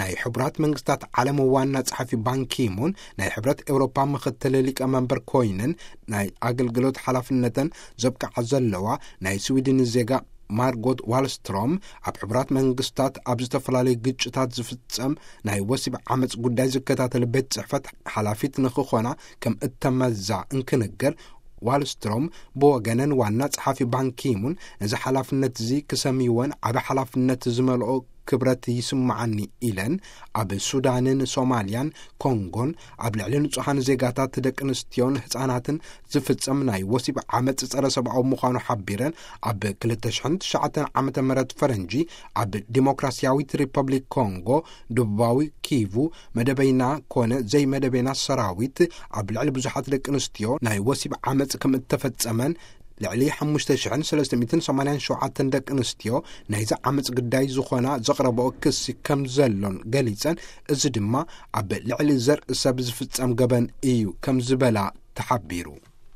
ናይ ሕቡራት መንግስታት ዓለም ዋና ጸሓፊ ባንኪሙን ናይ ሕብረት ኤውሮፓ ምኽትል ሊቀመንበር ኮይነን ናይ ኣገልግሎት ሓላፍነተን ዘብቅዓ ዘለዋ ናይ ስዊድን ዜጋ ማርጎት ዋልስትሮም፣ ኣብ ሕቡራት መንግስታት ኣብ ዝተፈላለዩ ግጭታት ዝፍጸም ናይ ወሲብ ዓመጽ ጉዳይ ዝከታተል ቤት ጽሕፈት ሓላፊት ንኽኾና ከም እተመዛ እንክንገር፣ ዋልስትሮም ብወገነን ዋና ጸሓፊ ባንኪሙን ነዚ ሓላፍነት እዚ ክሰምይወን ዓቢ ሓላፍነት ዝመልኦ ክብረት ይስምዓኒ ኢለን፣ ኣብ ሱዳንን ሶማልያን ኮንጎን ኣብ ልዕሊ ንጹሃን ዜጋታት ደቂ ኣንስትዮን ህጻናትን ዝፍጸም ናይ ወሲብ ዓመጽ ጸረ ሰብኣዊ ምዃኑ ሓቢረን፣ ኣብ ክልተ ሽሕን ትሽዓተን ዓመተ ምህረት ፈረንጂ ኣብ ዲሞክራሲያዊት ሪፐብሊክ ኮንጎ ደቡባዊ ኪቩ መደበይና ኮነ ዘይመደበይና ሰራዊት ኣብ ልዕሊ ብዙሓት ደቂ ኣንስትዮ ናይ ወሲብ ዓመጽ ከም እተፈጸመን፣ ልዕሊ ሓሙሽተ ሽሕን ሰለስተ ሚእትን ሰማንያን ሸውዓተን ደቂ ኣንስትዮ ናይዚ ዓመጽ ግዳይ ዝኾና ዘቕረበኦ ክሲ ከም ዘሎን ገሊጸን፣ እዚ ድማ ኣብ ልዕሊ ዘርኢ ሰብ ዝፍጸም ገበን እዩ ከም ዝበላ ተሓቢሩ።